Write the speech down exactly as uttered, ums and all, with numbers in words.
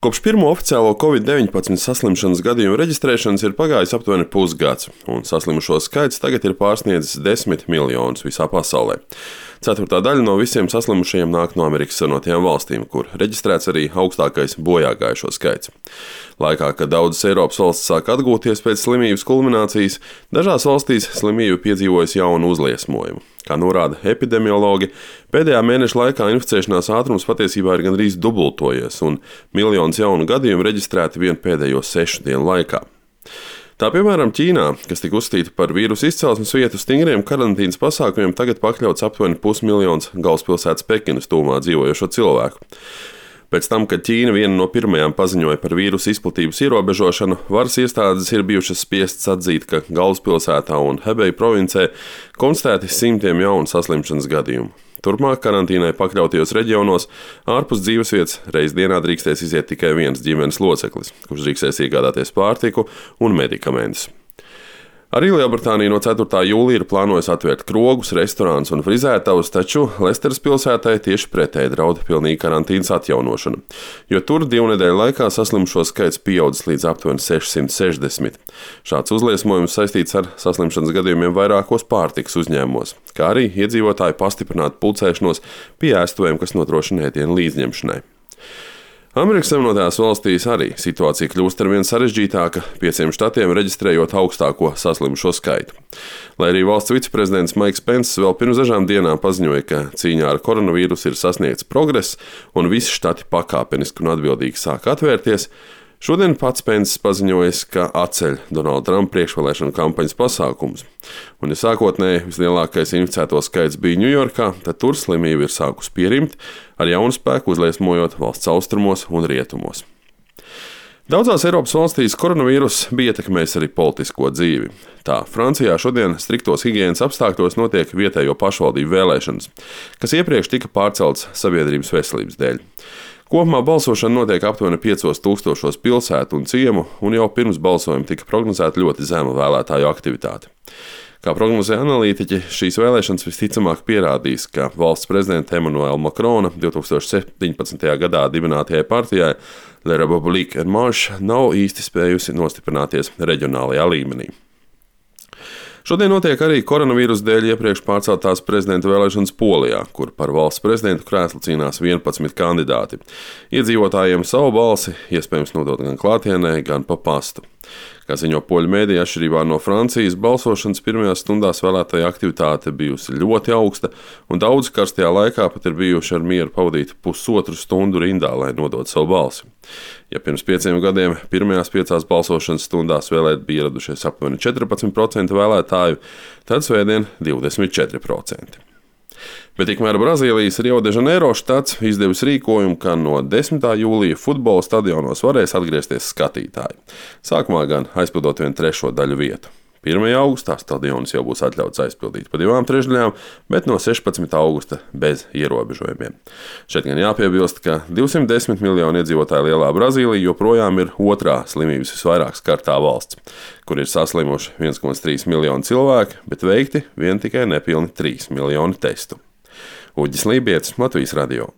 Kopš pirmo oficiālo covid deviņpadsmit saslimšanas gadījumu reģistrēšanas ir pagājis aptuveni pusgads, un saslimušo skaits tagad ir pārsniedzis desmit miljonus visā pasaulē. Ceturtā daļa no visiem saslimušajiem nāk no Amerikas Savienotajām valstīm, kur reģistrēts arī augstākais bojāgājušo skaits. Laikā, kad daudzas Eiropas valstis sāk atgūties pēc slimības kulminācijas, dažās valstīs slimība piedzīvojusi jaunu uzliesmojumu. Kā norāda epidemiologi, pēdējā mēneša laikā inficēšanās ātrums patiesībā ir gandrīz dubultojies, un miljonus jaunu gadījumu reģistrēti vien pēdējo sešu dienu laikā. Tā piemēram Ķīnā, kas tika uzskatīta par vīrusu izcelsmes vietu, stingriem karantīnas pasākumiem tagad pakļauts aptuveni pusmiljons galvaspilsētas Pekinas tuvumā dzīvojošo cilvēku. Pēc tam, kad Ķīna viena no pirmajām paziņoja par vīrusu izplatības ierobežošanu, varas iestādes ir bijušas spiestas atzīt, ka galvaspilsētā un Hebeja provincē konstatēti simtiem jaunu saslimšanas gadījumu. Turpmāk karantīnai pakļautajos reģionos ārpus dzīvesvietas reiz dienā drīkstēs iziet tikai viens ģimenes loceklis, kurš drīkstēs iegādāties pārtiku un medikamentus. Arī Lielbritānija no ceturtā jūlija ir plānojusi atvērt krogus, restorānus un frizētavus, taču Lesteras pilsētai tieši pretēji draud pilnīga karantīnas atjaunošana, jo tur divu nedēļu laikā saslimušo skaits pieaudzis līdz aptuveni sešsimt sešdesmit. Šāds uzliesmojums saistīts ar saslimšanas gadījumiem vairākos pārtikas uzņēmumos, kā arī iedzīvotāju pastiprinātu pulcēšanos pie ēstuvēm, kas nodrošina ēdienu līdzņemšanai. Amerikas Savienotajās valstīs arī situācija kļūst arvien sarežģītāka, pieciem štatiem reģistrējot augstāko saslimušo skaitu. Lai arī valsts viceprezidents Maiks Penss vēl pirms dažām dienām paziņoja, ka cīņā ar koronavīrusu ir sasniegts progress un visi štati pakāpeniski un atbildīgi sāk atvērties, šodien pats Penss paziņoja, ka atceļ Donalda Trumpa priekšvēlēšanu kampaņas pasākumus. Un, ja sākotnēji vislielākais inficēto skaits bija Ņujorkā, tad tur slimība ir sākusi pierimt, ar jaunu spēku uzliesmojot valsts austrumos un rietumos. Daudzās Eiropas valstīs koronavīrus bija ietekmējis arī politisko dzīvi. Tā Francijā šodien striktos higienas apstākļos notiek vietējo pašvaldību vēlēšanas, kas iepriekš tika pārceltas sabiedrības veselības dēļ. Kopumā balsošana notiek aptuveni piecos tūkstošos pilsētu un ciemu, un jau pirms balsojuma tika prognozēta ļoti zema vēlētāju aktivitāte. Kā prognozē analītiķi, šīs vēlēšanas visticamāk pierādīs, ka valsts prezidenta Emmanuela Macrona divi tūkstoši septiņpadsmitajā gadā dibinātajai partijai La République En Marche nav īsti spējusi nostiprināties reģionālajā līmenī. Šodien notiek arī koronavīrusa dēļ iepriekš pārceltās prezidenta vēlēšanas Polijā, kur par valsts prezidentu krēslu cīnās vienpadsmit kandidāti. Iedzīvotājiem savu balsi iespējams nodot gan klātienē, gan pa pastu. Kā ziņo poļu mēdīja, atšķirībā no Francijas, balsošanas pirmajās stundās vēlētāja aktivitāte bijusi ļoti augsta, un daudzi karstajā laikā pat ir bijuši ar mieru pavadīt pusotru stundu rindā, lai nodotu savu balsi. Ja pirms pieciem gadiem pirmajās piecās balsošanas stundās vēlēt bija ieradušies aptuveni četrpadsmit procenti vēlētāju, tad svētdien divdesmit četri procenti. Bet tikmēr Brazīlijas Rio de Janeiro štats izdevis rīkojumu, ka no desmitā jūlija futbola stadionos varēs atgriezties skatītāji. Sākumā gan aizpildot vienu trešo daļu vietu. pirmajā augustā stadionus jau būs atļauts aizpildīt pa divām trešdaļām, bet no sešpadsmitā augusta bez ierobežojumiem. Šeit gan jāpiebilst, ka divsimt desmit miljonu iedzīvotāju lielā Brazīlija joprojām ir otrā slimības visvairāk skartā valsts, kur ir saslimuši viens komats trīs miljonu cilvēku, bet veikti vien tikai nepilni trīs miljoni testu. Uģis Lībietis, Latvijas radio.